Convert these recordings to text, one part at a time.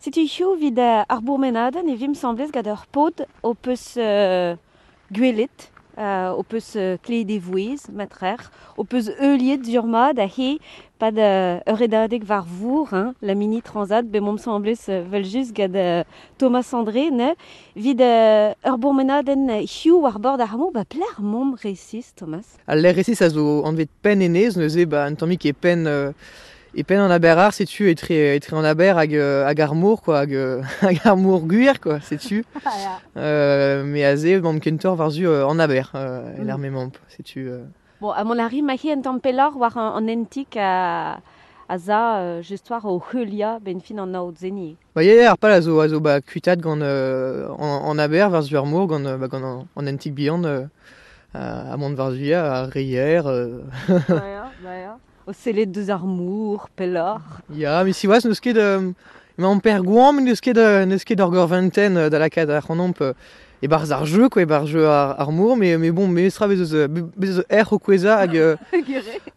Setu hiziv evit ar bourmenadenn e vimp asambles gant ur paotr ho peus gwelet, ho peus klevet e vouezh matrec'h, ho peus heuliet sur-mat aze 'pad ur redadeg war vor, hein, la mini transat, bet 'momp asambles evel-just gant Thomas André neuze. Evit ur bourmenadenn hiziv war bord ar mor, ba pelec'h 'momp resis, Thomas? Al lec'h resis a zo anvet Penn Enez, neuze ba un tammig e penn e penn an Aber-Ar, setu etre an aber hag ar mor, quoi, hag ar mor gwir, quoi, setu. Me aze, emaomp kentoc'h war-zu an aber, e-lec'h m'emaomp, setu. Bon, ha mont a ri ma-hi un tamm pelloc'h war an hentig a za just war o heuliañ 'benn fin an aod-se Ba ya, ar pal a zo ba kuitaat gant an aber war-zu ar mor, gant, ba, gant an hentig bihan ha mont war-zu ar reier. Ba ya, ba ya. O sellet deus ar mor pelloc'h. Ya, met siwazh n'eus ket emaomp er goañv, n'eus ket ur gorventenn da lakaat ac'hanomp e-barzh ar jeu, quoi, e-barzh jeu ar mor, mais bon, memestra bez eus erc'h o kouezhañ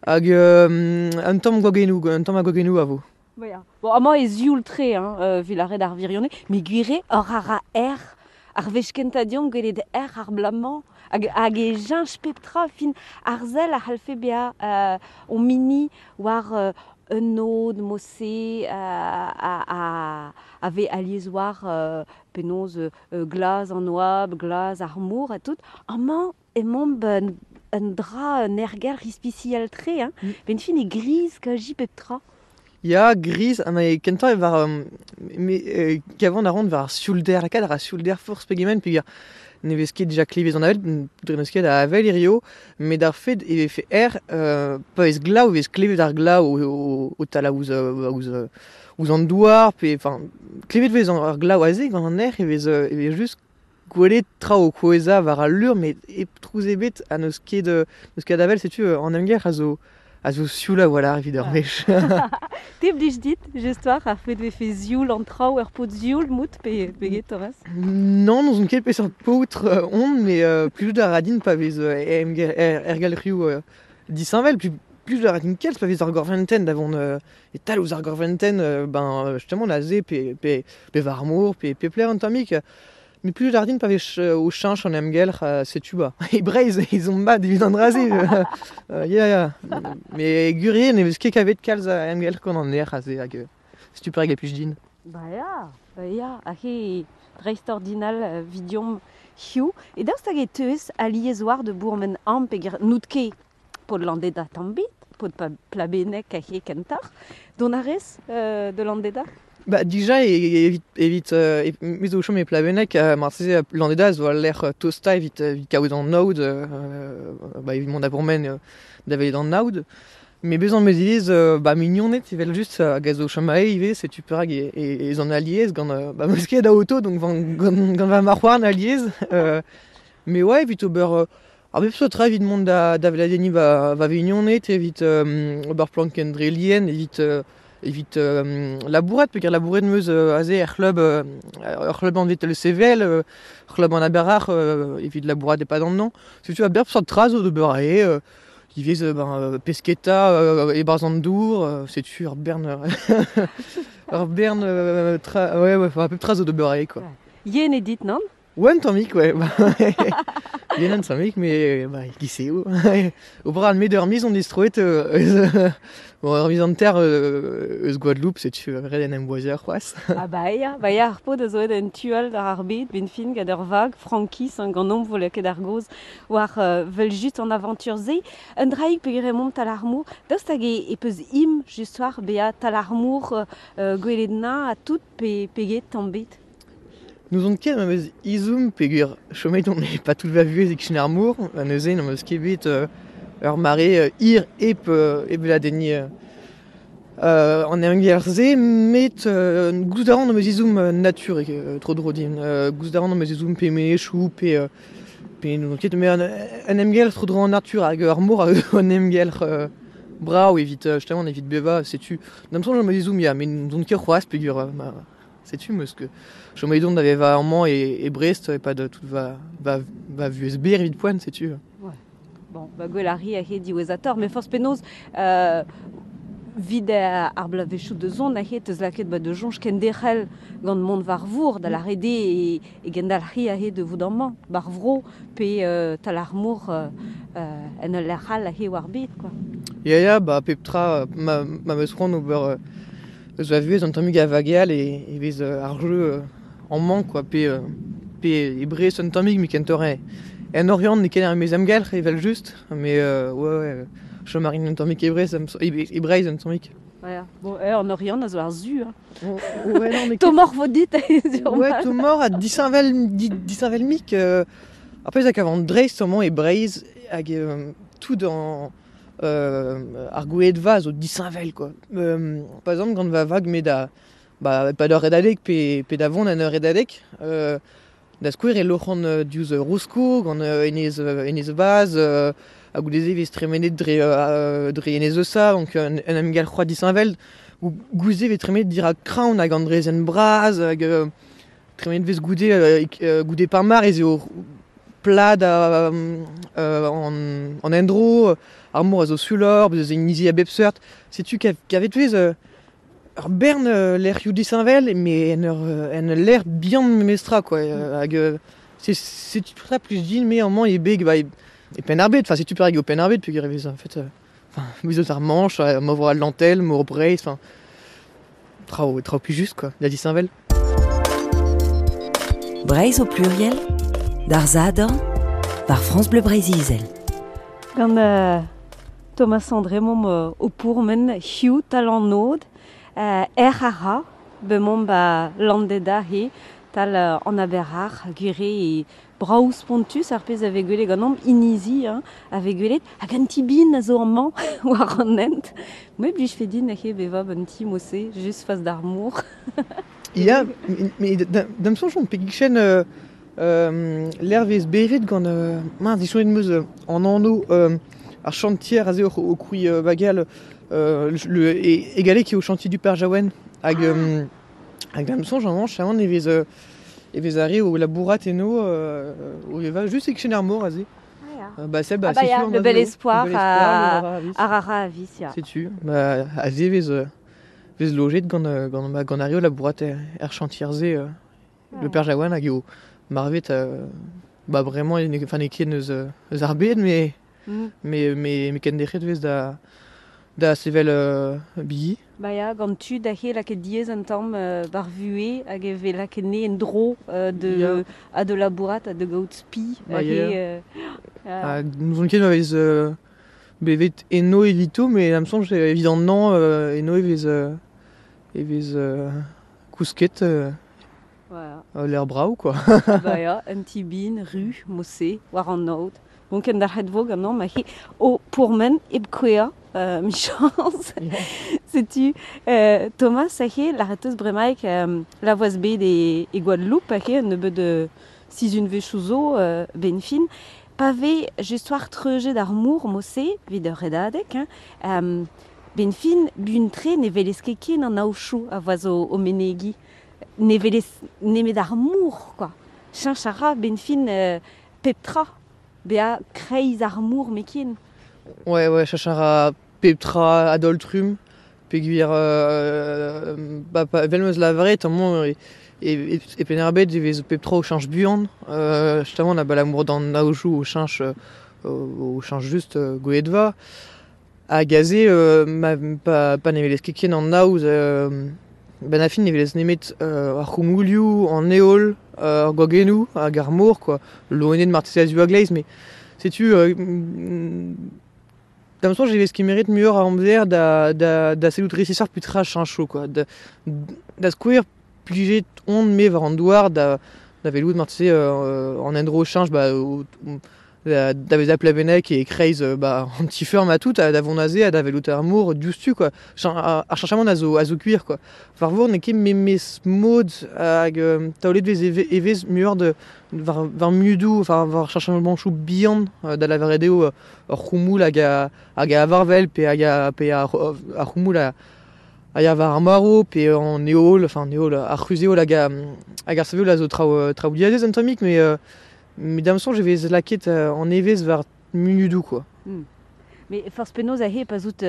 hag un tamm gwagennoù, un tamm a gwagennoù a vo. Ba ya. Bon, amañ e sioul-tre, hein, evit lâret ar wirionez, met gwir eo oc'h a ra erc'h ar wech kentañ deomp gwelet erc'h ar bloaz-mañ hag e cheñch pep tra fin ar sell a c'hallfe bezañ o mini war un aod mod-se a vez alies war penaos glas an oabl, glas ar mor ha tout. Amañ emaomp un dra, un aergelc'h ispisial-tre, hein. 'Benn fin e griz kazi pep tra. Ya, griz, ha ma kentañ e war me kavan a ran war ar sioulder, lakaat a ra sioulder forzh pegement peogwir ne vez ket dija klevez an avel, dre n'eus ket a avel hirio, met ar fed e vefe erc'h, pa vez glav e vez klevet ar glav o talañ ouzh an douar, pe enfin klevet vez ar glav aze gant an erc'h e vez just gwelet traoù o kouezhañ war al leur met hep trouz ebet ha n'eus ket avel, setu an emger a zo sioul a-walc'h evit ur wech. Te blij dit, just war, ar fed vefe sioul an traoù ur paotr sioul mout pe get, Thomas? Non, n'ouzon ket peseurt paotr on, met plijout a ra din pa vez aergelc'hioù disheñvel, plijout a ra din kalz pa vez ar gorventenn da vont e-tal ouzh ar gorventenn, ben justement aze pe war ar mor, pe pelec'h un tammig. Met plijout a ra din pa vez o cheñch an emgelc'h, setu ba. E Breizh ez omp mat evit an dra-se. Ya, ya. Met gwir eo ne vez ket kavet kalz a emgelc'h gant an erc'h aze hag setu perak e plij din. Ba ya, ba ya, hag he dreist-ordinal 'vidiomp hiziv. E daoust hag e teuez alies war da bourmen amañ peogwir n'out ket paotr Landeda tamm ebet, paotr Plabenneg hag he kentoc'h. Dont a rez de Landeda? Ba dija evit me zo o chom e Plabenneg, marteze Landeda zo al lec'h tostañ evit kaout an aod, ba evit mont da bourmen da welet an aod. Met bezañ 'meus ivez ba mignoned evel-just hag a zo o chom aze ivez, setu perak ez an alies gant ba 'meus ket a auto donc gant va marc'h-houarn alies. Mais ouais, evit ober ar bep seurt tra evit mont da weladenniñ va mignoned, evit ober plankenn dre lien, evit labourat, peogwir labouret 'meus aze er c'hlub anvet le CVL, c'hlub an Aber-Ac'h evit labourat e-pad an hañv. Setu a bep seurt tra zo d'ober aze, ivez ben pesketa e-barzh an dour, setu ur bern tra, ouais, enfin pep tra zo d'ober aze, quoi. Yen eo dit, nann? Ouais, un tammig, ouais. Yen un tammig, mais bah, giz eo. Ober an met ur miz on distroet bon, ur miz hanter eus Gwadeloup, setu ret en em boaziañ c'hoazh. Ah ba ya, ba ya, ar paotr a zo aet en tu all d'ar ar bed, 'benn fin gant ur vag, frankiz, hein, ganeomp vo lakaet ar gaoz war 'vel-just an avantur-se. Un draig peogwir emaomp tal ar mor, daoust hag e peus im just war bezañ tal ar mor gwelet na ha tout pe get tamm bet? N'ouzon ket ma 'meus ezhomm peogwir chomet on e pa tout va vuhez e-kichen ar mor, ha neuze n'am eus ket bet ur mare hir hep weladenniñ an emgelc'h-se, met gouzout a ran am eus ezhomm natur tro-dro din. Gouzout a ran am eus ezhomm pe menezioù pe n'ouzon ket, met un emgelc'h tro-dro an natur hag ar mor a zo un emgelc'h brav evit justement evit bevañ, setu. D'am soñj am eus ezhomm, ya, met n'ouzon ket c'hoazh peogwir ma setu 'meus ket chomet on da vevañ amañ e Brest e-pad tout va vuhez berr evit poent, setu. Ouais. Bon, ba gwell a ri aze diwezhatoc'h, met forzh penaos Vid ar blavezhioù de zon a het eus lakaet ba de soñj kenderc'hel gant mont war vour da la rede e gendalc'hi a de vout amañ bar vro pe tal ar mor en ul lec'h all a he war bet quoi. Ya ya ba pep tra ma meus c'hoant ober eus va vuhez an tammig a vageal e vez ar jeu amañ quoi pe e Brest un tammig met kentoc'h en Oriant n'eo ket ar memes amgelc'h evel just mais ouais chom a rin un tammig e Brest e Breizh un tammig. Ouais, bon, en Oriant a zo ar zu. Hein. Ouais, non, mais Tomor vo dit Ouais, tomor a disheñvel mik. Ar pezh a kavan dreist amañ e Breizh hag tout an ar gouedva zo disheñvel quoi. Par exemple gant va vag me da ba pa d'ur redadeg pe da vont en ur redadeg da skouer e loc'han diouzh Rosko gant enez Vaz ha goude-se vez tremenet dre enez Eusa donc un emgal c'hoaz disheñvel goude vez tremenet dirak Kraon hag an drezenn bras hag tremenet vez goude Parmar ez eo plad an endro ar mor a zo suloc'h bez eus inizi a bep seurt setu kavet vez ur bern lec'hioù disheñvel mais en ur lec'h bihan memestra quoi hag c'est tra plus din me amañ e beg ba e Penn-ar-Bed enfin setu perak eo Penn-ar-Bed peogwir e vez en fait enfin vez eus ar Manche mor Atlantel mor Breizh enfin traoù plus juste quoi da disheñvel. Breizh au pluriel d'ar Zadorn par France Bleu Breizh-Izel. Gant Thomas André momp o pourmen hiziv tal an nod erc'h a ra bemomp ba Landeda he tal an aber-ar gwire e brav spontus ar pezh a vez gwelet ganeomp inizi hein, a vez gwelet hag an ti bin a zo amañ war an hent. Me blij fe din he bevañ un ti mose just fas d'ar mor. Ya, mais da'm soñj on pegig-chen l'er vez bevet gant mince disoñjet 'm eus an anv ar chantier aze o krouiñ bagal le e galleg eo chantier du Père Jaouen hag hag da'm soñj amañ chaman e vez arre o labourat eno o vevañ just e-kichen ar mor aze. Ba sell ba Ah bah ya, setu le bel espoir ar a ra avis ya. Setu ba aze vez lojet gant ar re o labourat er chantier-se le Père Jaouen hag eo marvet ba bremañ enfin n'eo ket eus ar bed mais mais kenderc'het vez da sevel bigi. Ba ya, gant tud a he lakaet diaes un tamm bar vuhez hag e vez lakaet ne en dro de a de labourat ha de gaout spi. Ba ya. Ha n'ouzon ket ma vez bevet eno evito mais da'm soñj evit an hañv eno e vez kousket Voilà. L'air brav quoi. Ba ya, un ti bin, ru, mose, war an aod. Bon kenderc'het vo ganeomp ma he o pourmen hep kouezhañ michañs. Setu Thomas a he lâret eus bremaik la voaz bet e Guadeloupe a he un nebeud sizhunvezhioù zo ben fin. Pa vez just war treujet ar mor mose evit ur redadeg hein, ben fin buan-tre ne welez ket ken an aochoù a voaz o menegi. Ne welez nemet ar mor quoi. Cheñch a ra ben fin pep tra bezañ kreiz ar mor met ken. Ouais, ouais, cheñch a ra pep tra a-daol-trumm peogwir ba evel 'm eus lavaret amañ e Penn-ar-Bed e vez pep tra o cheñch buan. Justement abalamour d'an aojoù o cheñch just gweledva. Hag aze ma pa ne welez ket ken an aoz ben a fin ne welez nemet ar c'houmoulioù, an heol, ar gwagennoù hag ar mor quoi. Loened marteze a zu a-gleiz mais setu da'm soñj e vez kemeret muioc'h a amzer da sellout resisoc'h petra cheñcho quoi. Da skouer plijet on me war an douar da welout marteze an endro cheñch ba da vezañ plabennek e kreiz ba an ti-feurm ha tout da vont aze ha da welout ar mor diouzhtu quoi. Ar cheñchamant a zo gwir quoi. War vor n'eo ket memes mod hag taolet vez e vez muioc'h de war munudoù enfin war cheñchamantoù bihan da lavaret eo ur c'houmoul hag a varvel pe hag ar c'houmoul a ya war ar marv pe an heol enfin an heol ar c'huzh-heol hag ar sav-heol a zo traoù diazez un tammig mais mais da'm soñj e vez lakaet an evezh war munudoù quoi. Mais forzh penaos aze pa zout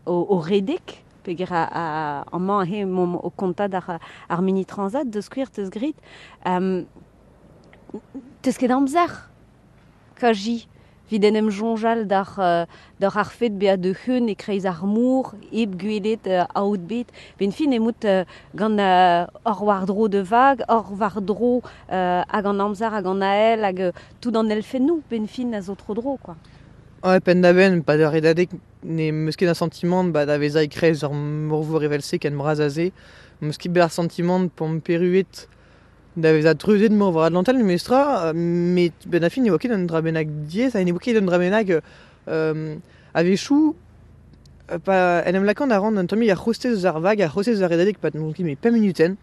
o redek, peger amañ he mom o kontad ar mini transat deus skouer teus grit. Teus ket amzer, kaji, vid en em jonjal d'ar ar fet bea de c'heun e kreiz ar mour, eb gwelet aout bet. Ben fin emout gant ur war-dro de vag, ur war-dro hag an amzer, hag an ael, hag tout an elfennou, ben fin a zo tro dro, quoi. Ouais, pen da ben, pa da redadek ne meus ket un sentiment ba da veza e kreiz ur morvour evel-se ken bras aze. Meus ket bet ar sentiment p'am peruet da veza treuzet mor war Atlantel, mestra, met ben a fin ne oa ket un dra bennak diaes, ha ne oa ket un dra bennak a-wechoù pa en em lakan a ran un tammig ar c'hostez eus ar vag, ar c'hostez eus ar redadeg pa n'on ket met 5 minuten.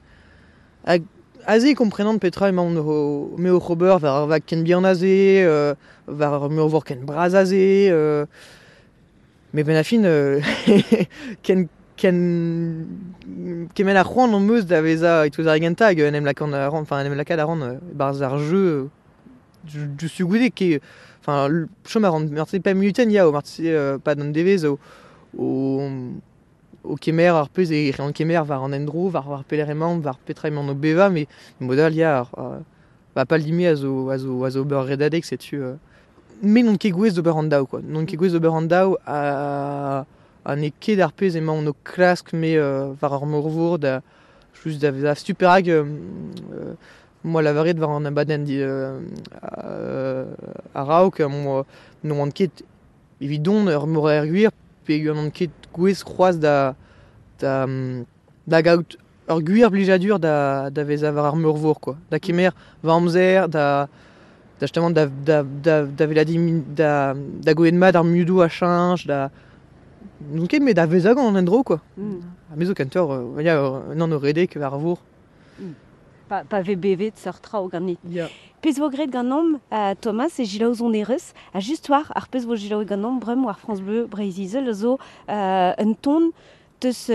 Hag aze komprenant petra emaon o me oc'h ober war ar vag ken bihan aze, war ar meurvor ken bras aze, met ben a fin ken kement ar c'hoant am eus da veza e-touez ar gentañ hag en em lakan a ran, enfin en em lakaat a ran barzh ar jeu du goude ket, enfin chom a ran marteze 5 minuten ya, o marteze pa d'an devezh o kemer ar pezh e rean kemer war an endro, war pelec'h emaon, war petra emaon o bevañ, met mod all ya, ba pal dime a zo ober redadeg, setu me n'on ket gouez d'ober an daou, quoi. N'on ket gouez d'ober an daou ha n'eo ket ar pezh emaon o klask me war ar morvour da just da vezañ stuperag moi lavaret war an abadenn a-raok moi n'oan ket evidon ur mor er gwir pe n'on ket gouez c'hoazh da gaout ur gwir blijadur da vezañ war ar meurvor, quoi. Da kemer va amzer, da justement da veladiñ da gwelet mat ar mudoù a cheñch, da n'on ket met da vezañ gant an endro, quoi. Ha me zo kentoc'h ya nann o redek war ar vor. Pa vez bevet seurt traoù ganit. Yeah. Pezh vo graet ganeomp Thomas e Gilaou Zonerez, ha just war ar pezh vo Gilaou ganeomp bremañ war France Bleu Breizh-Izel zo un ton teus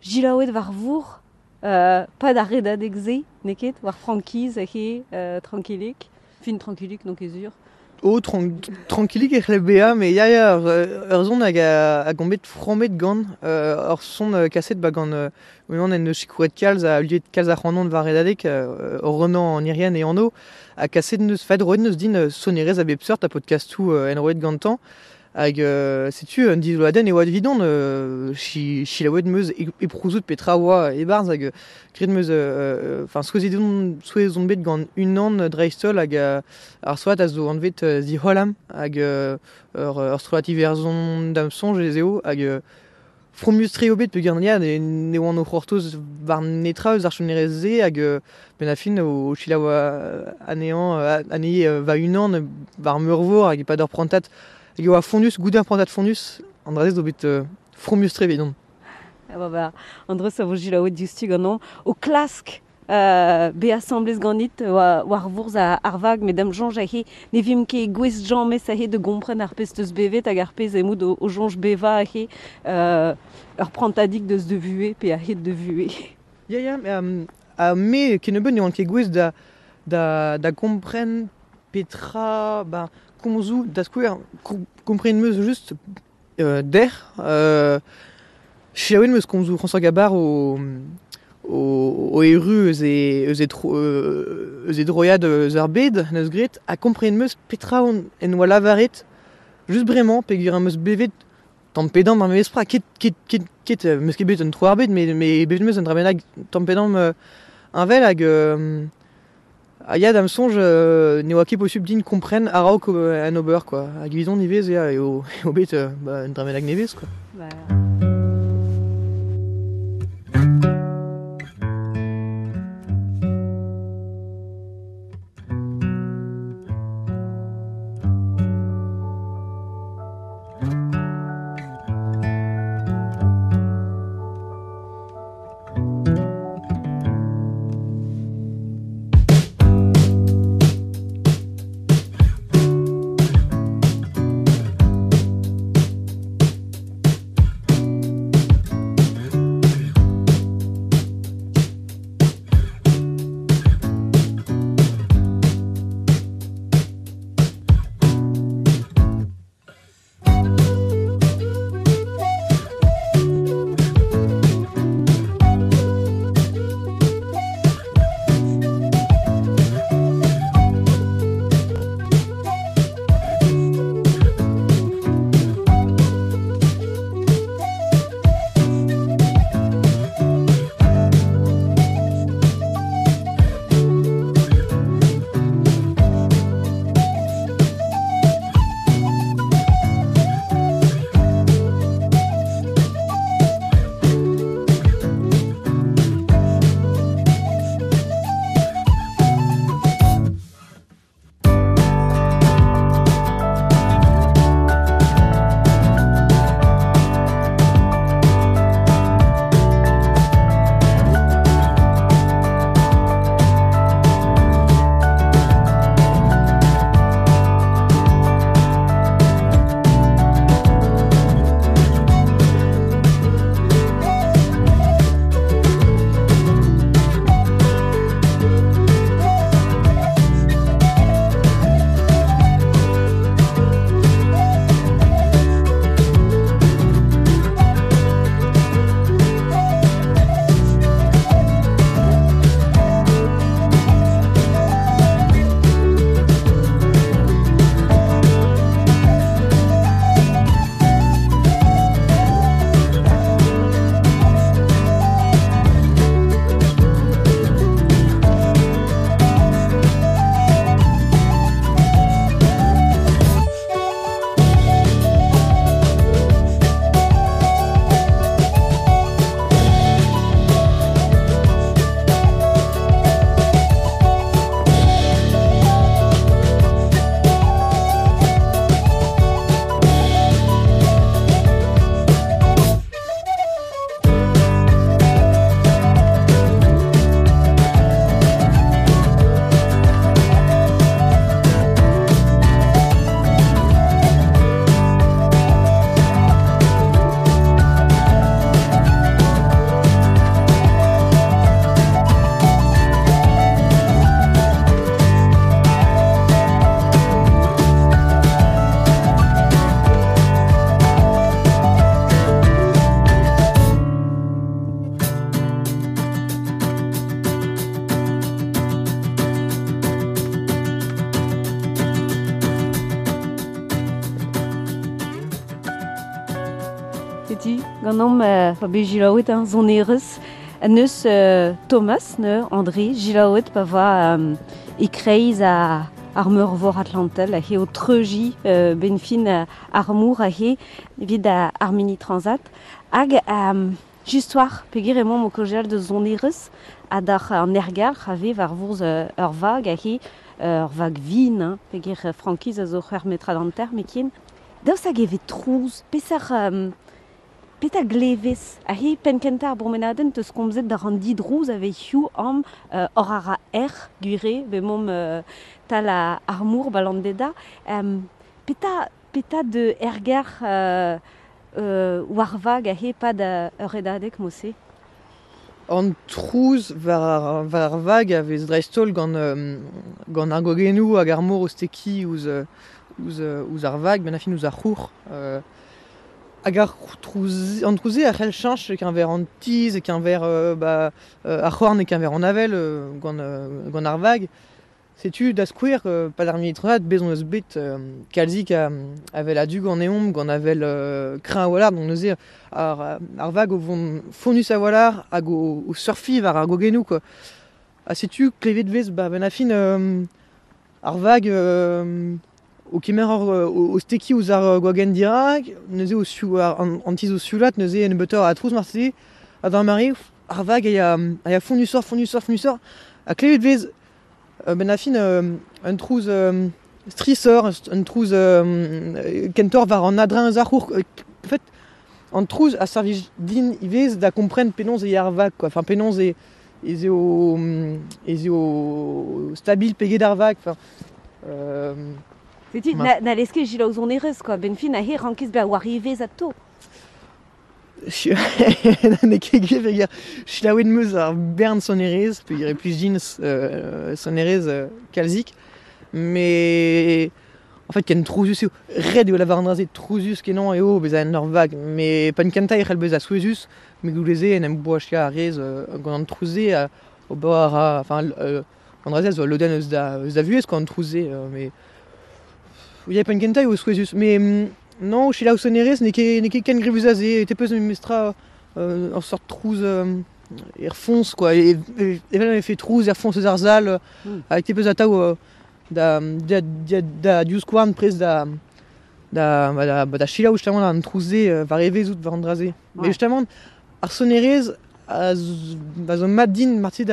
Gilaouet war vour pa da redadeg se, n'eo ket, war frankiz he trankilik, fin trankilik n'on ket sur. Oh, trankilik e c'hell bezañ, met ya ya, ur son hag a gommet frammet gant ur son kaset ba gant unan en deus sikouret kalz a liet kalz ar c'hanon war redadeg ur renañ an irienn e anv ha kaset neus fait roet neus din sonerezh a bep seurt ha podcastoù en roet gantañ hag setu un dizoloadenn e oa evidon chilaouet meus eprouzout petra oa e-barzh hag graet meus enfin souezhet on bet gant unan dreist-holl hag ar soad a zo anvet The Hollam hag ur strollad iwerzhon da'm soñj ez eo hag fromus-tre eo bet peogwir ya ne oan o c'hortoz war netra eus ar sonerezh-se hag ben a fin o selaou anezhañ anezhi va-unan war meurvor hag e-pad ur prantad hag e oa fonnus, goude ar prantad fonnus, an dra-se zo bet fromus-tre evidon. Ah ba, an dra-se a vo Gilaouet diouzhtu ganeomp o klask be asambles ganit war vourzh ar vag, met da'm soñj aze ne vimp ket gouest james aze de gompren ar pezh teus bevet hag ar pezh emout o soñj bevañ aze ur prantadig deus de vuhez pe a-hed de vuhez. Ya ya, me kennebeut ne oan ket gouest da gompren petra ba komzoù da skouer kompren meus just der selaouet meus komzoù François Gabard o erru eus e droiad eus ar bed neus graet ha kompren meus petra en oa lavaret just bremañ peogwir am eus bevet tamm pe damm ar memes pra ket meus ket bet un tro ar bed met bevet meus un dra bennak tamm pe damm heñvel hag ha ya da'm soñj ne oa ket posupl din kompren a-raok an ober, quoi. Hag evidon ivez ya eo bet un dra bennak nevez, quoi. Ba. Ganeomp pa bet gilaouet hein, sonerezh. Neus Thomas, ne, André, gilaouet pa va e kreiz a ar meurvor Atlantel, a he o treuji benfin ar mour a he evit ar mini transat. Hag just war, peogwir emaomp o kaozeal deus sonerezh ha d'ar an ergal a vez war vourzh ur vag a he ur vag vin, hein, peogwir frankiz a zo c'hwec'h metrad hanter mekin. Daoust hag e vez trouz, peseurt petra glevez a he penn kentañ ar bourmenadenn teus komzet d'ar an didrouz a vez hiziv am hor a ra erc'h gwire bemomp tal ar mour balandeda. Petra de erger war vag a he pad ur redadeg mose? An trouz war ar vag a vez dreist-holl gant ar gwagennoù hag ar mor o stekiñ ouzh ar vag, ben a fin ouzh ar c'houc'h. Hag ar trouz, an trouze a c'hell cheñch e-keñver an tizh, e-keñver ar c'horn, e-keñver an avel gant ar vag. Setu da skouer, pad ar mini-transat, bez hon eus bet kalzik avel a-du ganeomp, gant avel kreñv a-walc'h, donc neuze ar vag o vont fonnus a-walc'h hag o surfiñ war ar gwagennoù, quoi. Ha setu klevet vez ben a fin ar vag o kemer o stekiñ ouzh ar gwagenn dirak, neuze o an tizh o sioulat, neuze en nebeutoc'h a trouz marteze, ha d'ar mare ar vag a ya fonnusoc'h, fonnusoc'h, fonnusoc'h, ha klevet vez ben a fin un trouz strisoc'h, un trouz kentoc'h war an adreñv eus ar c'hourk. En fait, an trouz a servij din ivez da kompren penaos e ya ar vag, quoi. Enfin, penaos ez eo stabil peget ar vag. Enfin, Setu, na lez ket gilaou sonerezh, quoi. Ben fin, a he rankez bezañ war evezh atao. N'eo ket gwir, peogwir selaouet 'm eus ar bern sonerezh, peogwir e plij din sonerezh kalzik. Mais en fait, ken trouzus eo. Ret eo lavar an dra-se, trouzus kenañ eo bezañ en ur vag. Mais penn kentañ e c'hell bezañ souezhus, met goude-se en em boachañ a rez gant an trouz-se, ober a ra... Enfin, an dra-se a zo ul lodenn eus da vuhez, quoi, an trouz-se. Mais ya, penn kentañ eo souezhus. Mais non, selaou sonerezh n'eo ket ken grevus aze. Te peus memestra ur sort trouz er foñs, quoi. Evel ma vefe trouz er foñs eus ar sal, hag te peus atav da divskouarn prest da selaou justement an trouz-se war evezh out war an dra-se. Mais justement, ar sonerezh a zo mat din marteze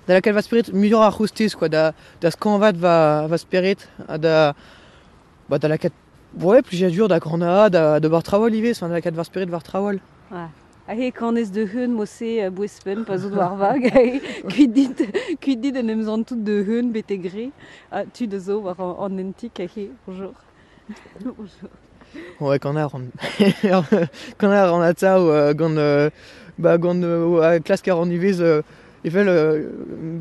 da lakaat va spered muioc'h ar c'hostez, quoi, da skañvaat va spered ha da lakaat ouais, plijadur da granaat, da ober traoù ivez, enfin, da lakaat va spered war traoù all. Ouais. Ahe kanez de heun mose bouezpen pa zo war vag, kuit dit en em zantout de heun bete gre, tud a zo war an entik, ahe, bonjour. Bonjour. Ouais, kannar an atav gant klask ar an ivez evel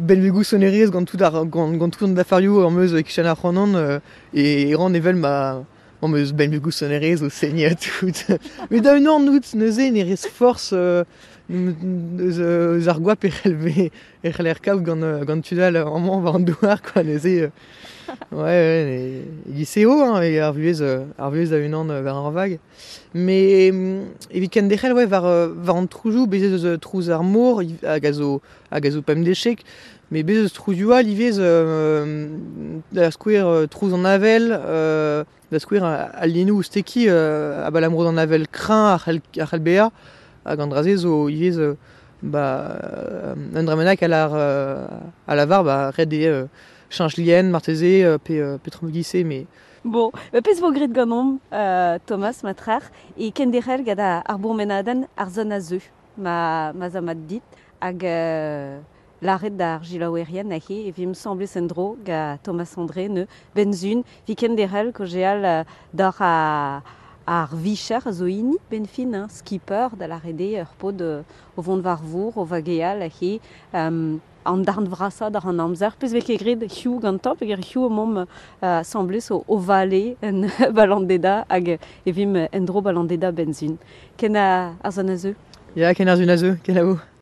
benvegoù sonerezh gant tout ar gant tout an dafarioù am eus e-kichen ar c'hanon e ran evel ma am eus benvegoù sonerezh o seniñ tout. Met da un an out neuze ne rez forzh eus ar goap e c'heller kaout gant tud all amañ war an douar, quoi, neuze ouais, e-giz eo hein, ar vuhez a-unan war ar vag. Mais evit kenderc'hel ouais, war an trouzoù, bez ez eus trouz ar mor hag a zo pemdechek, mais bez eus trouzioù all ivez da skouer trouz an avel, da skouer al liennoù o stekiñ abalamour d'an avel kreñv a c'hell bezañ, hag an dra-se zo ivez un dra bennak a lavar ret eo cheñch lien marteze pe traoù-giz-se, mais... Bon, pezh vo graet ganeomp Thomas Matrar e kenderc'hel gant ar bourmenadenn ar zon a zeu ma za mat dit hag lâret d'ar gilaouerien ahe e vimp semblez en-dro gant Thomas André ne benzun vi kenderc'hel kaozeal d'ar ar vicher a zo hini benfin, hein, skipper da lâret eo ur paotr o vont war vour, o vageal ahe an darn vrasañ d'ar an amzer. Pezh vez ket graet hiziv gantañ, peogwir hiziv emaomp asambles o vale en balandeda hag e vimp en-dro balandeda benzin. Ken ar zon a zeu? Ya, ken ar zon a zeu, ken a vo.